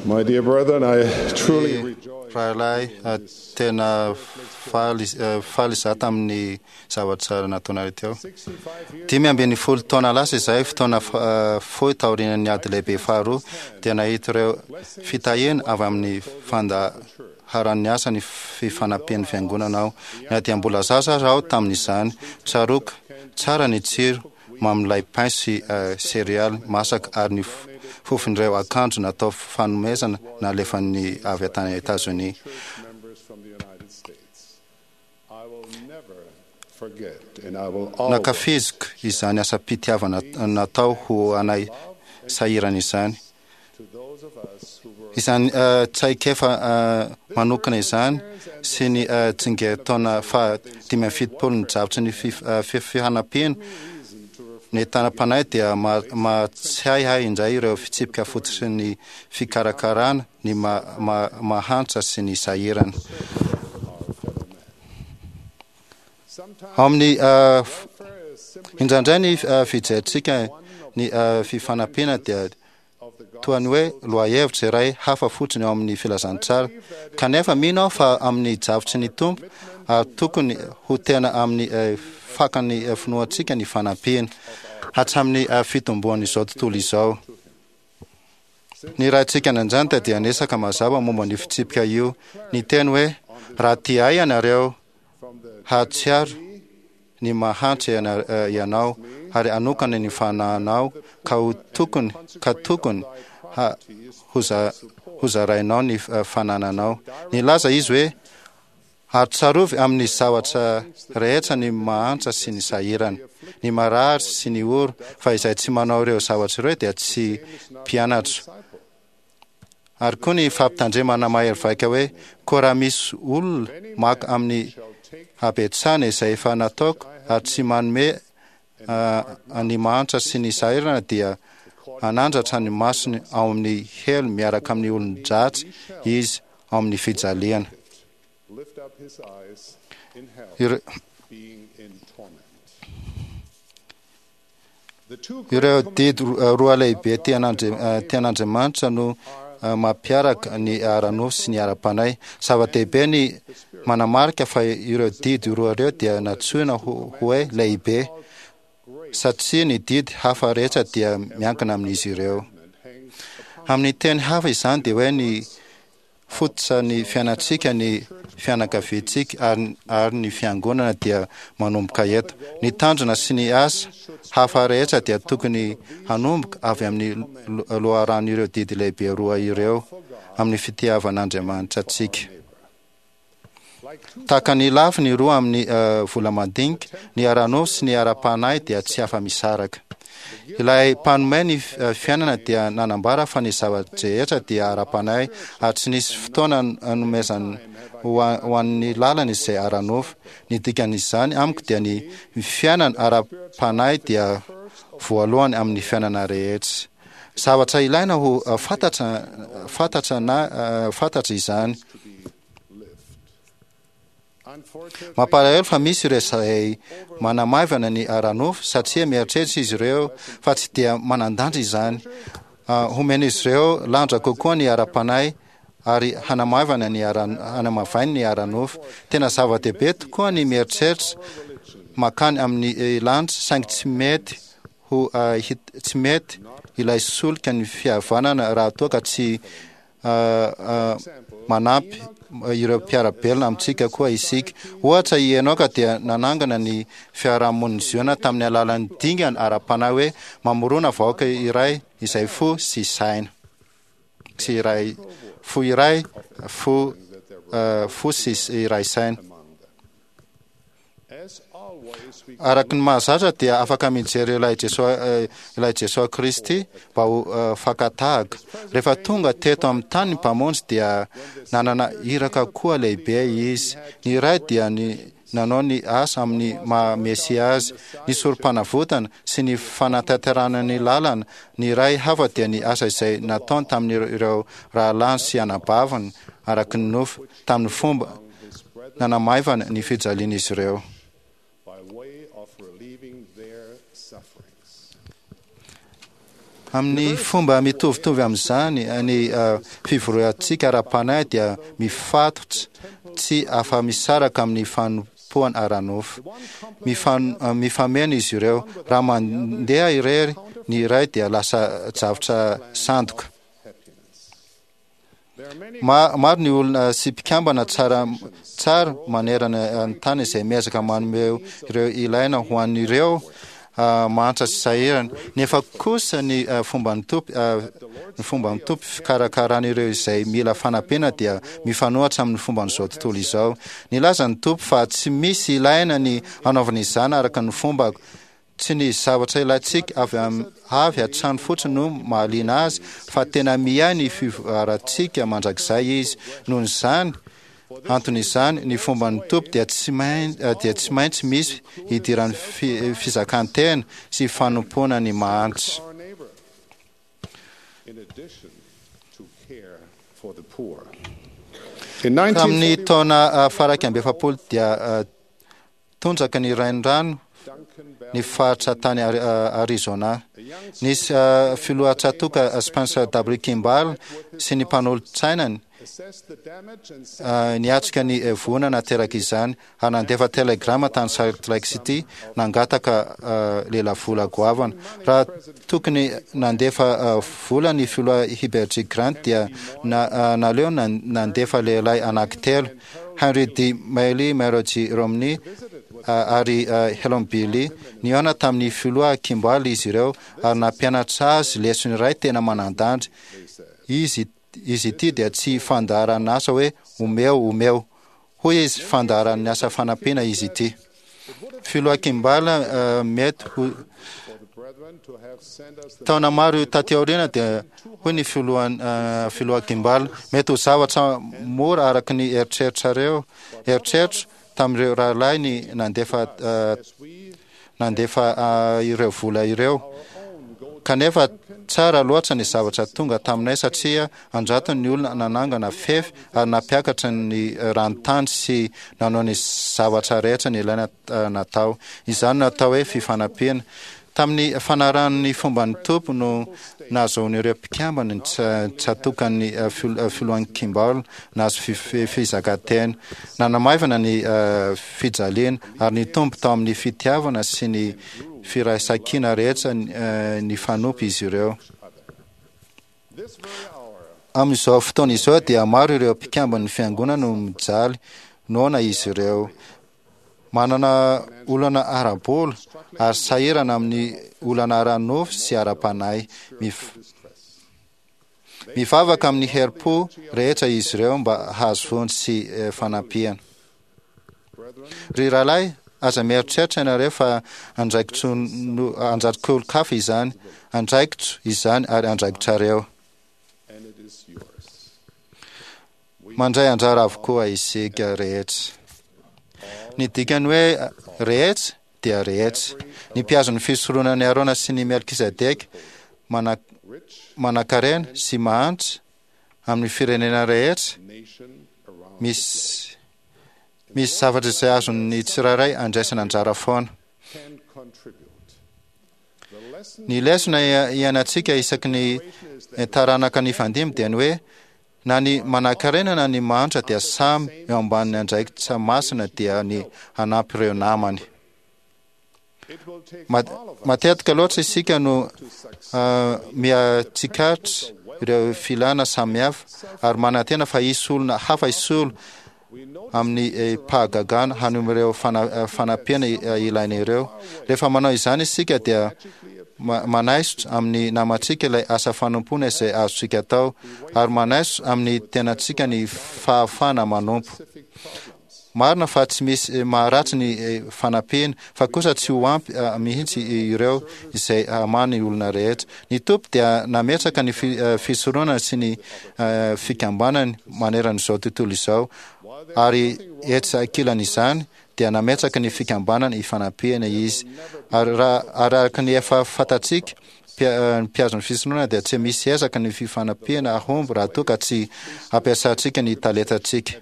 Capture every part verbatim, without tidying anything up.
My dear brethren, I truly rejoice. Rahalahy, tena faly faly izaho tamin'ny zavatra nataonareo teo. Dimy ambin'ny folo taona lasa izay, fotoana fohy taorian'ny ady lehibe faharoa, dia nahita ireo fitahiana avy amin'ny fandaharan'ny asa ny fifanampian'ny fiangonana aho. Na dia mbola zaza aza aho tamin'izany, tsaroako tsara ny tsiro mamin'ilay pain sy céréales masaka ary ny fofon'ireo akanjo natao fanomezana nalefan'ny avy tany Etazonia. Nankafiziko izany asam-pitiavana natao ho anay sahirana izany. Izany traikefa manokana izany sy ny tsingerin-taona faha dimy amby fitopolo ny drafitry ny fifanampiana ny tanam-panahy dia mahatsiahy ahy indray ireo fitsipika fototry ny fikarakarana ny mahantra sy ny sahirana. Ao amin'ny indraindray ny fijerintsika ny fifanampiana dia toa ny hoe lohahevitra iray hafa fotsiny ao amin'ny filazantsara. Kanefa mino aho fa amin'ny drafitry ny Tompo ary tokony ho tena amin'ny fakan'ny finoantsika ny fanampiana hatramin'ny fitomboan'izao tontolo izao. Ny Raintsika any an-danitra dia niresaka mazava momba an'io fitsipika io, niteny hoe, Raha tia ahy ianareo, hahatsiaro ny mahantra ianao ary hanokana ny fanahinao ka ho tokony ka tokony hozarainao ny fanananao. Nilaza izy hoe, Ary tsarovy amin'ny zavatra rehetra ny mahantra sy ny sahirana, ny marary sy ny ory, fa izay tsy manao ireo zavatra ireo dia tsy mpianatro. Ary koa ny fampitandremana mahery vaika hoe, Koa raha misy olona maka amin'ny habetsahana izay efa nataoko ary tsy manome ny mahantra sy ny sahirana dia hanandratra ny masony ao amin'ny helo miaraka amin'ny olon-dratsy izy ao amin'ny fijaliana. Ireo didy roa lehibe tian'Andriamanitra no mampiaraka ny ara-nofo sy ny ara-panahy. Zava-dehibe ny manamarika fa ireo didy roa ireo dia nantsoina hoe lehibe, satria ny didy hafa rehetra dia miankina amin'izy ireo. Amin'ny teny hafa izany dia hoe ny fototra ny fiainantsika, ny fianakaviantsika ary ary ny fiangonana dia manomboka eto. Ny tanjona sy ny asa hafa rehetra dia tokony hanomboka avy amin'ny loharan'ireo didy lehibe roa ireo amin'ny fitiavan'Andriamanitra antsika. Tahaka ny lafiny roa amin'ny vola madinika, ny ara-nofo sy ny ara-panahy dia tsy afa-misaraka. Ilay Mpanome ny fiainana dia nanambara fa ny zava-drehetra dia ara-panahy ary tsy nisy fotoana nanomezany ho an'ny lalany izay ara-nofo. Ny dikan'izany amiko dia ny fiainana ara-panahy dia voalohany amin'ny fiainana rehetra. Zavatra ilaina ho fantatra fantatra na fantatra izany. Mampalahelo fa misy ireo izay manamaivana ny ara-nofo satria mieritreritra izy ireo fa tsy dia manan-danja izany. Homen'izy ireo lanja kokoa ny ara-panahy ary hanamaivana ny ara hanamavainy ny ara-nofo. Tena zava-dehibe tokoa ny mieritreritra makany amin'ny lanitra saingy tsy mety ho tsy mety ilay solika ny fihavanana raha toa ka tsy manampy ireo mpiara-belona amintsika koa isika. Ohatra, i Enoka dia nanangana ny fiarahamonin'i Ziona tamin'ny alalan'ny dingana ara-panahy hoe mamorona vahoaka iray izay fo sy saina sy iray fo iray fo fo sy iray saina. Araka ny mahazatra dia afaka mijery ilay Jesoa ilay Jesoa Kristy mba ho fakan-tahaka. Rehefa tonga teto amin'ny tany ny Mpamonjy dia nanana iraka koa lehibe Izy. Ny iray dia ny nanao ny asa amin'ny maha Mesia Azy, ny sorompanavotana sy ny fanatanterahana ny lalana. Ny iray hafa dia ny asa izay nataony tamin'ireo rahalahiny sy anabaviny araka ny nofo tamin'ny fomba nanamaivana ny fijalian'izy ireo. Amin'ny fomba mitovitovy amin'izany, ny fivoriantsika ara-panahy dia mifatotra tsy afa-misaraka amin'ny fanompoana ara-nofo. Mifameno izy ireo. Raha mandeha irery ny iray dia lasa zavatra sandoka. Maro ny olona sy mpikambana tsara tsara manerana ny tany izay miezaka manome ireo ilaina ho an'ireo mahantra sy sahirana. Nefa kosa ny fomban'ny Tompo, ny fomban'ny Tompo fikarakarana ireo izay mila fanampiana dia mifanohitra amin'ny fomban'izao tontolo izao. Nilaza ny Tompo fa tsy misy ilaina ny hanaovana izany araka ny fombako. Tsy ny zavatra ilaintsika avy avy hatrany fotsiny no mahaliana azy, fa tena miahy ny fivoarantsika mandrakizay izy. Noho izany antony izany, ny fomban'ny Tompo dia tsy dia tsy maintsy misy idiran'ny fizakan-tena sy fanompoana ny mahantra. Tamin'ny taona faha-iraika amby efapolo dia tondraka ny renirano ny faritra tany Arizona. Nisy filoha tsatoka Spencer W. Kimball sy ny mpanolotsainany niatrika ny voina nateraka izany ary nandefa telegrama tany Salt Lake City nangataka lelavola goavana. Raha tokony nandefa vola ny filoha Heber G. Grant dia naleo nandefa lehilahy anankitelo, Henry D. Mailey, Mary G. Romney ary Helon Billy. Nihaona tamin'ny filoha Kimball izy ireo ary nampianatra azy lesona iray tena manan-danja. Izy izy ity dia tsy fandaharan'asa hoe omeo omeo. Hoy izy, fandaharan'ny asa fanampiana izy ity. Filoha Kimball mety ho taona maro taty aoriana dia hoy ny filoha filoha Kimball, mety ho zavatra mora araka ny eritreritrareo eritreritro tamin'ireo rahalahy ny nandefa nandefa ireo vola ireo. Kanefa tsara loatra ny zavatra tonga taminay satria an-jatony ny olona nanangana fefy ary nampiakatra ny ranontany sy nanao ny zavatra rehetra nilaina natao. Izany no atao hoe fifanampiana. Tamin'ny fanarahan'ny fomban'ny Tompo no nahazoan'ireo mpikambana ny tsatokan'ny filohan'ny Kimball nahazo fizakantena. Nanamaivana ny fijaliana ary nitombo tao amin'ny fitiavana sy ny firaisankina rehetra nifanompo izy ireo. Amin'izao fotoana izao dia maro ireo mpikamban'ny fiangonana no mijaly noana izy ireo. Manana olana ara-bola ary sahirana amin'ny olana ara-nofo sy ara-panahy. Mivavaka amin'ny herim-po rehetra izy ireo mba hahazo vonjy sy fanampiana. Ry rahalahy, aza mieritreritra ianareo fa andraikitr'-olon-kafa izany. Andraikitro izany ary andraikitrareo. Mandray anjara avokoa isika rehetra. Ny dikany hoe rehetra dia rehetra. Ny mpihazo ny fisoronan'i Arona sy ny Melkizedeka manankarena sy mahantra amin'ny firenena rehetra, misy misy zavatra izay azon'ny tsirairay andraisana anjara foana. Ny lesona iainantsika isaky ny taranaka nifandimby dia ny hoe na ny manankarena na ny mahantra dia samy eo ambanin'ny andraikitra masina dia ny hanampy ireo namany. Matetika loatra isika no mihatsikaritra ireo filana samihafa ary manantena fa hisy olona hafa hisolo amin'ny fahagagana hanome ireo fanampiana ilaina ireo. Rehefa manao izany isika dia manaisotra amin'ny namantsika ilay asa fanompoana izay azontsika atao ary manaisotra amin'ny tenantsika ny fahafahana manompo. Marina fa tsy misy maharatsy ny fanampiana, fa kosa tsy ho ampy mihitsy ireo izay hamaha ny olona rehetra. Ny Tompo dia nametraka ny fisoronana sy ny fikambanany maneran'izao tontolo izao, ary etsy ankilan'izany dia nametraka ny fikambanana ifanampiana Izy. Ary raha araka ny efa fantatsika, ny mpihazo ny fisoronana dia tsy misy ezaka ny fifanampiana hahomby raha toa ka tsy ampiasantsika ny talentantsika.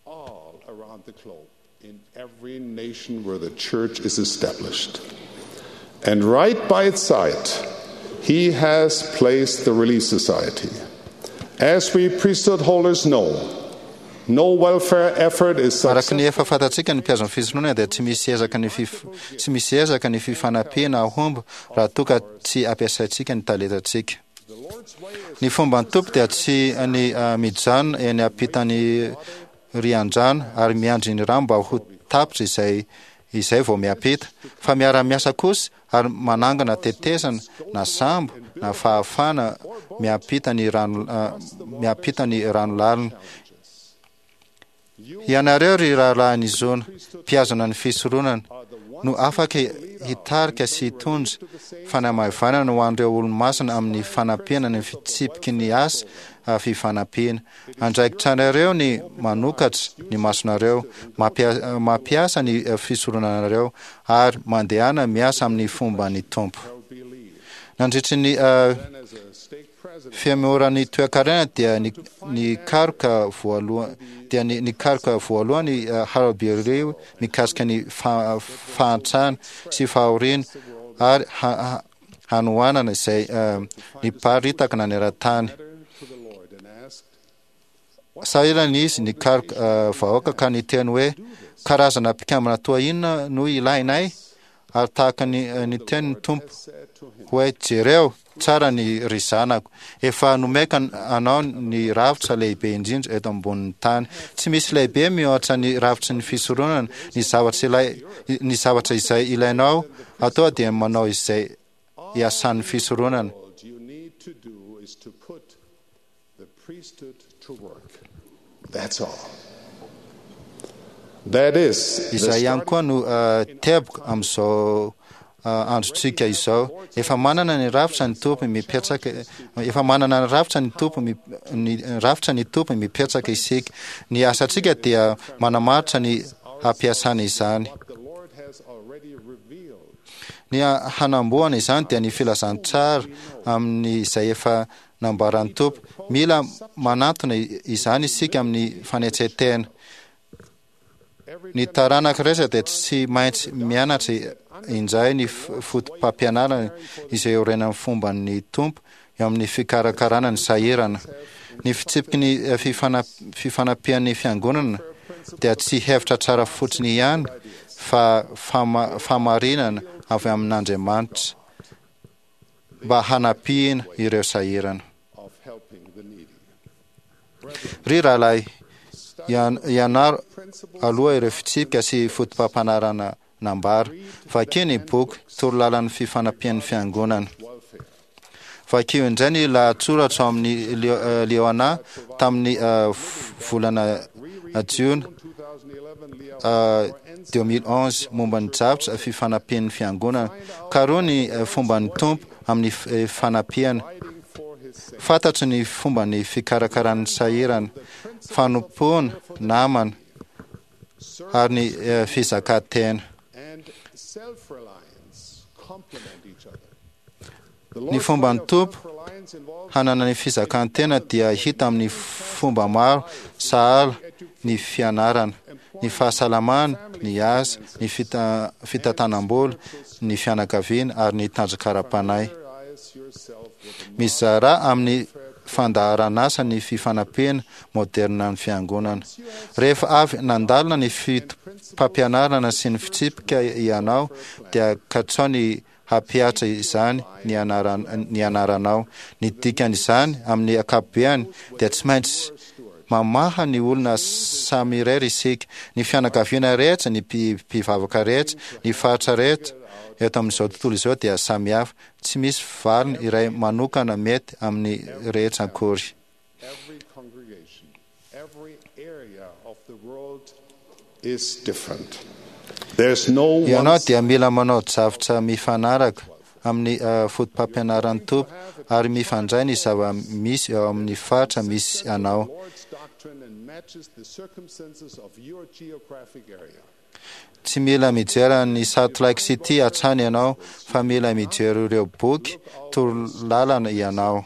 All around the globe, in every nation where the church is established. And right by its side, he has placed the Relief Society. As we priesthood holders know, no welfare effort is Araka ny efa fantatsika ny mpiazon'ny fisoronana dia tsy misy ezaka ny fif- tsy misy ezaka ny fifanampiana ahomby raha toa ka tsy ampiasaintsika ny talentantsika. Ny fomban'ny Tompo dia tsy ny mijanona eny ampitan'ny rian-drano ary miandry ny rano mba ho tapitra izay izay vao miampita, fa miara-miasa kosa ary manangana tetezana na sambo na fahafahana miampita ny rano miampita ny rano lalina. Ianareo ry rahalahin'i Zona, mpihazona ny fisoronana, no afaka hitarika sy hitondra fanamaivanana ho an'ireo olo-masina amin'ny fanampiana ny fitsipiky ny asa fifanampiana. Andraikitranareo ny manokatra ny masonareo, mampiasa ny fisoronanareo ary mandehana miasa amin'ny fomban'ny Tompo. Nandritry ny fihemoran'ny toekarena dia nikaroka voalohany dia nikaroka voalohany Harold B. Lee mikasika ny fahantrana sy fahoriana ary hanoanana izay niparitaka naneran-tany. Sahirana izy nikaroka vahoaka ka niteny hoe karazana mpikambana toa inona no ilainay, ary tahaka ny niteny ny Tompo hoe jereo tsara ny ry zanako, efa nomeka anao ny rafitra lehibe indrindra eto ambonin'ny tany. Tsy misy lehibe mihoatra ny rafitry ny fisoronana. Ny zavatra ilay ny zavatra izay ilainao atao dia manao izay iasan'ny fisoronana. Izay ihany koa no teboka amin'izao androntsika izao. Efa manana ny rafitra ny Tompo mipetraka, efa manana ny rafitra ny Tompo ny rafitra ny Tompo mipetraka isika. Ny asantsika dia manamaritra ny hampiasana izany. Ny hanamboana izany dia ny filazantsara amin'izay efa nambaran'ny Tompo. Mila manantona izany isika amin'ny fanetren-tena. Ny taranaka rehetra dia tsy maintsy mianatra indray ny foto-pampianarana izay iorenan'ny fomban'ny Tompo eo amin'ny fikarakarana ny sahirana. Ny fitsipiky ny fifanampian'ny fiangonana dia tsy hevitra tsara fotsiny ihany fa fahamarinana avy amin'Andriamanitra mba hanampiana ireo sahirana. Ry rahalahy, ianaro aloha ireo fitsipika sy foto-pampianarana nambara. Vakio ny boky Torolalan'ny fifanampian'ny fiangonana. Vakio indray ny lahatsoratra ao amin'ny Liona tamin'ny volana jiona deux mille onze momba ny drafitra fifanampian'ny fiangonana. Karoho ny fomban'ny Tompo amin'ny fanampiana. Fantatro ny fomban'ny fikarakaran'ny sahirana, fanompoana, namana ary ny fizakantena. Ny fomban'ny Tompo hanana ny fizakantena dia hita amin'ny fomba maro sahala ny fianarana, ny fahasalamana, ny asa, ny fitantanam-bola, ny fianakaviana ary ny tanjaka ara-panahy. Mizara amin'ny fandaharan'asa ny fifanampiana moderina ny fiangonana. Rehefa avy nandalina ny fotopampianarana sy ny fitsipika ianao dia katsao ny hampihatra izany ny anaranao. Ny dikan'izany amin'ny ankapobeany dia tsy maintsy mamaha ny olona samy irery isika, ny fianakaviana rehetra, ny mpivavaka rehetra, ny faritra rehetra eto amin'izao tontolo izao dia samy hafa. Tsy misy valiny iray manokana mety amin'ny rehetra akory. Ianao dia mila manao drafitra mifanaraka amin'ny fotopampianaran'ny Tompo ary mifandray ny zava-misy eo amin'ny faritra misy anao. Tsy mila mijery ny Salt Lake City hatrany ianao fa mila mijery ireo boky torolalana ianao.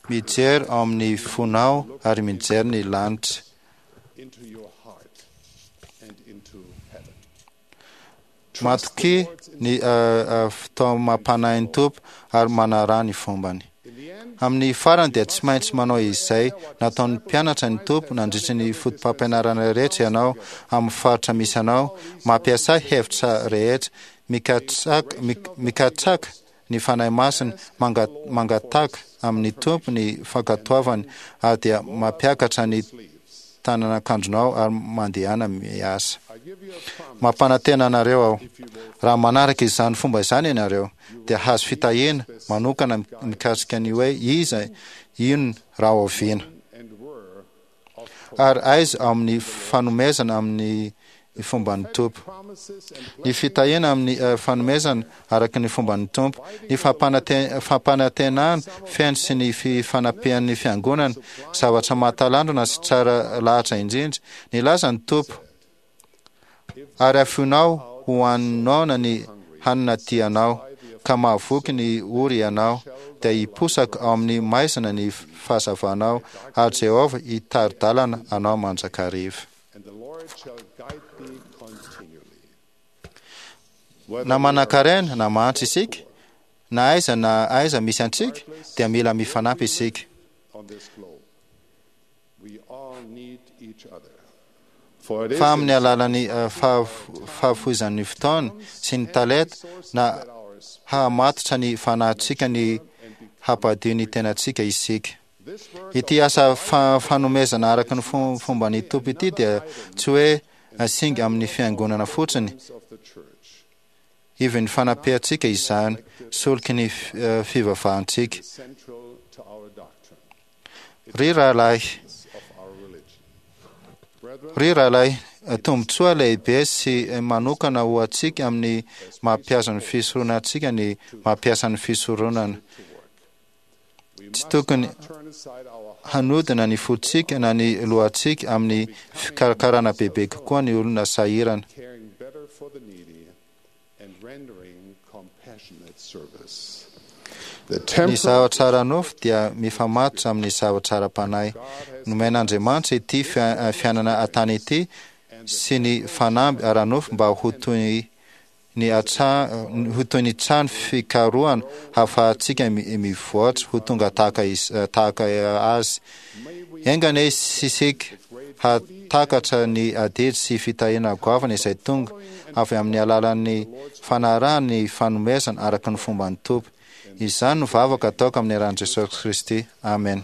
Mijery ao amin'ny fonao ary mijery ny lanitra. Matokia ny fitaomam-panahin'ny Tompo ary manaraha ny fombany. Amin'ny farany dia tsy maintsy manao izay nataon'ny mpianatra ny Tompo nandritra ny fotopampianarana rehetra ianao amin'ny faritra misy anao, mampiasa hevitra rehetra, mikatsaka, mikatsaka ny Fanahy Masina, mangataka amin'ny Tompo ny fankatoavany ary dia mampiakatra ny tanan'akanjonao ary mandehana miasa. Mampanantena anareo aho, raha manaraka izany fomba izany ianareo, dia hahazo fitahiana manokana mikasika ny hoe iza, inona, raha oviana, ary aiza ao amin'ny fanomezana amin'ny fomban'ny Tompo. Ny fitahiana amin'ny fanomezana araka ny fomban'ny Tompo, ny fampanantenana feno sy ny fifanampian'ny Fiangonana, zavatra mahatalanjona sy tsara lahatra indrindra. Nilaza ny Tompo, Ary afoinao ho an'ny noana ny hanina tianao, ka mahavoky ny ory ianao, dia hiposaka ao amin'ny maizina ny fahazavanao, ary Jehovah hitari-dalana anao mandrakariva. Na manankarena na mahantra isika, na aiza na aiza misy antsika, dia mila mifanampy isika. Fa amin'ny alalan'ny fahafoizan'ny fotoana sy ny talenta na hahamatotra ny fanahintsika ny hampadio ny tenantsika isika. Ity asa fanomezana araka ny fomban'ny Tompo ity dia tsy hoe singa amin'ny fiangonana fotsiny, ivon'ny fanampiantsika izany, soloky ny fivavahantsika. Ry rahalahy, ry rahalahy, tombontsoa lehibe sy manokana ho antsika amin'ny maha-mpiasa ny fisoronana antsika ny mampiasa ny fisoronana. Tsy tokony hanodina ny fontsika na ny lohantsika amin'ny fikarakarana bebe kokoa ny olona sahirana. Ny zavatra ara-nofo dia mifamatotra amin'ny zavatra ara-panahy. Nomen'Andriamanitra ity fiainana an-tany ity sy ny fanamby ara-nofo mba ho toy ny ho toy ny trano fikarohana hahafahantsika mivoatra ho tonga tahaka tahaka Azy. Enga anie isika hahatakatra ny adidy sy fitahiana goavana izay tonga avy amin'ny alalan'ny fanarahana ny fanomezana araka ny fomban'ny Tompo. Izany no vavaka ataoko amin'ny anaran'i Jesosy Kristy. Amena.